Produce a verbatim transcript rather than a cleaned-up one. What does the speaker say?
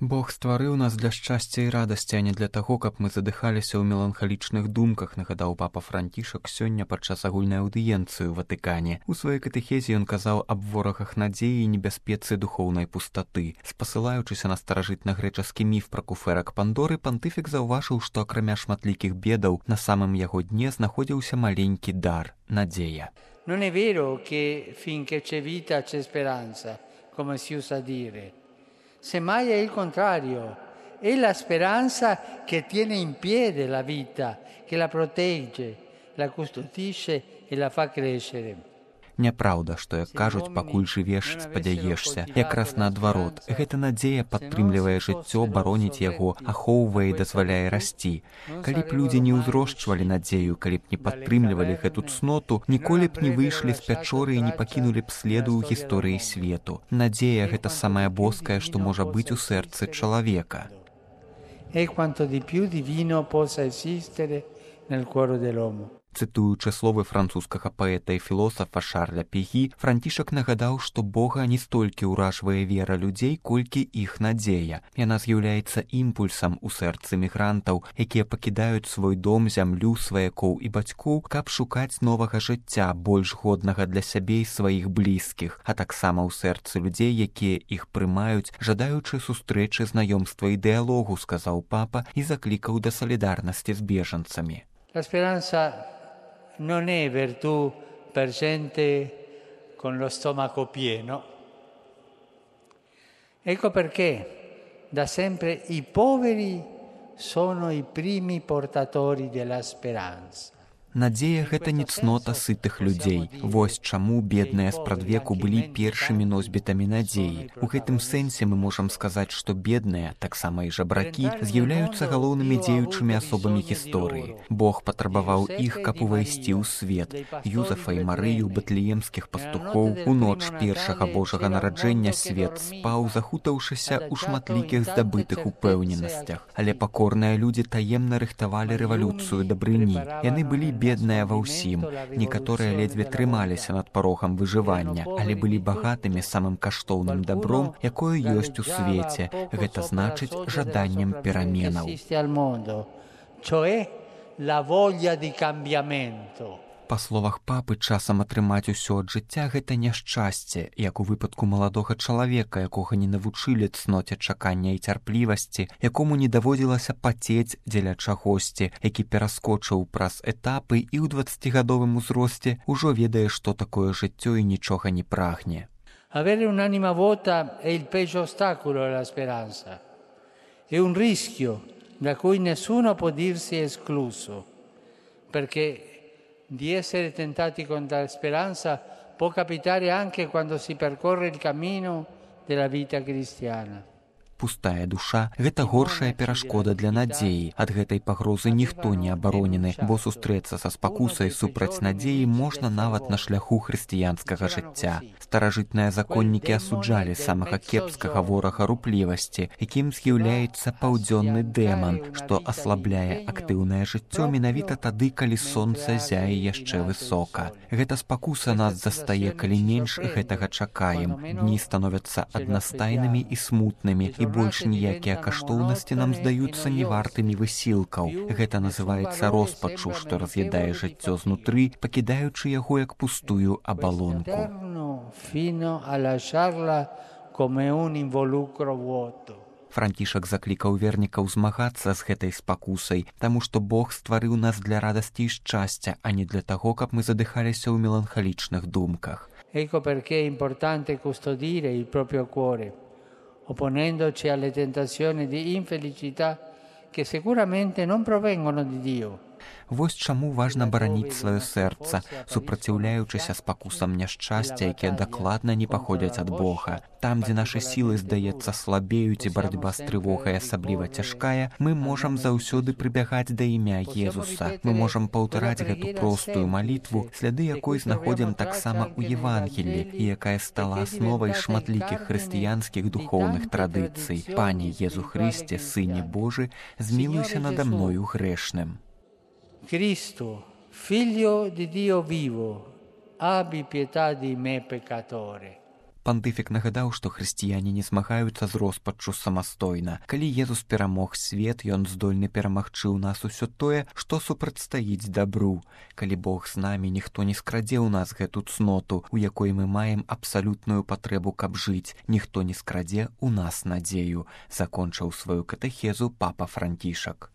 Бог стварыў нас для шчасця і радасці, а не для таго, каб мы задыхаліся ў меланхалічных думках, нагадаў папа Францішак сёння падчас агульнай аўдыенцыі ў Ватыкане. У сваёй катэхезе ён казаў аб ворагах надзеі і небяспецы духоўнай пустаты. Спасылаючыся на старажытна-грэчаскі міф пра куфэрак Пандоры, пантыфік заўважыў, што акрамя шматлікіх бедаў на самым яго дне знаходзіўся маленькі дар – надзея. Non è vero che finché c'è vita c'è speranza, come si usa dire. Semmai è il contrario, è la speranza che tiene in piedi la vita, che la protegge, la custodisce e la fa crescere. Няправда, што, як кажуць, пакуль жывеш, спадзяешся. Якраз наадварот, гэта надзея падтрымлівае жыццё, бароніць яго, ахоўвае і дазваляе расці. Калі б людзі не ўзрошчвалі надзею, калі б не падтрымлівалі гэту цноту, ніколі б не выйшлі з пячоры і не пакінулі б следу ў гісторыі свету. Надзея – гэта самае боскае, што можа быць у сэрцы чалавека. È quanto di più divino possa esistere nel cuore dell'uomo. Цытуючы словы французскага паэта і філосафа Шарля Пегі, Францішак нагадаў, што Бога не столькі ўражвае вера людзей, колькі іх надзея. Яна з'яўляецца імпульсам у сэрцы мігрантаў, якія пакідаюць свой дом, зямлю, сваякоў і бацькоў, каб шукаць новага жыцця, больш годнага для сябе і сваіх блізкіх, а таксама ў сэрцы людзей, якія іх прымаюць, жадаючы сустрэчы, знаёмства і дыялогу, сказаў папа і заклікаў да салідарнасці з бежанцамі. La speranza non è virtù per gente con lo stomaco pieno. Ecco perché da sempre i poveri sono i primi portatori della speranza. Надзея – гэта не цнота сытых людзей. Вось чаму бедныя спрадвеку былі першымі носьбітамі надзеі. У гэтым сэнсе мы можам сказаць, што бедныя, таксама і жабракі, з'яўляюцца галоўнымі дзеючымі асобамі гісторыі. Бог патрабаваў іх, каб увайсці ў свет. Юзафа і Марыю, бэтлеемскіх пастухоў, у ноч першага Божага нараджэння свет спаў, захутаўшыся ў шматлікіх здабытых упэўненасцях. Але пакорныя людзі таемна рыхтавалі рэвалюцыю дабрыні. Яны былі бедныя ва ўсім. Некаторыя ледзьве трымаліся над парогам выжывання, але былі багатымі самым каштоўным дабром, якое ёсць у свеце. Гэта значыць жаданнем пераменаў. Па словах папы, часам атрымаць усё ад жыцця – гэта няшчасце, як у выпадку маладога чалавека, якога не навучылі цноце чакання і цярплівасці, якому не даводзілася пацець дзеля чагосьці, які пераскочыў праз этапы і ў дваццацігадовым узросце ўжо ведае, што такое жыццё і нічога не прагне. Avere un'anima vuota è il peggio ostacolo alla speranza. È un rischio da cui nessuno può dirsi escluso, perché di essere tentati con la speranza può capitare anche quando si percorre il cammino della vita cristiana. Пустая душа – гэта горшая перашкода для надзеі. Ад гэтай пагрозы ніхто не абаронены, бо сустрэцца са спакусай супраць надзеі можна нават на шляху хрысціянскага жыцця. Старажытныя законнікі асуджалі самага кепскага ворага руплівасці, якім з'яўляецца паўдзённы дэман, што аслабляе актыўнае жыццё менавіта тады, калі сонца зяе яшчэ высока. Гэта спакуса нас застае, калі менш гэтага чакаем. Дні становяцца аднастайнымі і смутнымі, і больш ніякія каштоўнасці нам здаюцца невартымі высілкаў. Гэта называецца роспачу, што раз'ядае жыццё знутры, пакідаючы яго як пустую абалонку. Францішак заклікаў вернікаў змагацца з гэтай спакусай, таму што Бог стварыў нас для радасці і шчасця, а не для таго, каб мы задыхаліся ў меланхалічных думках. Ecco perché è importante custodire il proprio cuore, opponendoci alle tentazioni di infelicità che sicuramente non provengono di Dio. Вось чаму важна бараніць сваё сэрца, супраціўляючыся спакусам няшчасця, якія дакладна не паходзяць ад Бога. Там, дзе нашы сілы, здаецца, слабеюць і барацьба з трывогай асабліва цяжкая, мы можам заўсёды прыбягаць да імя Езуса. Мы можам паўтараць гэту простую малітву, сляды якой знаходзім таксама ў Евангеллі, і якая стала асновай шматлікіх хрысціянскіх духоўных традыцый. Пане Езу Хрысце, Сыне Божы, змілуйся нада мною грэшным. Cristo, Figlio di Dio vivo, abbi pietà di me peccatore. пантыфік нагадаў, што хрысціяне не змагаюцца з роспаччу самастойна. Калі Езус перамог свет, ён здольны перамагчы ў нас усё тое, што супрацьстаіць дабру. Калі Бог з намі, ніхто не скрадзе ў нас гэту цноту, у якой мы маем абсалютную патрэбу, каб жыць. Ніхто не скрадзе ў нас надзею, закончыў сваю катэхезу папа Францішак.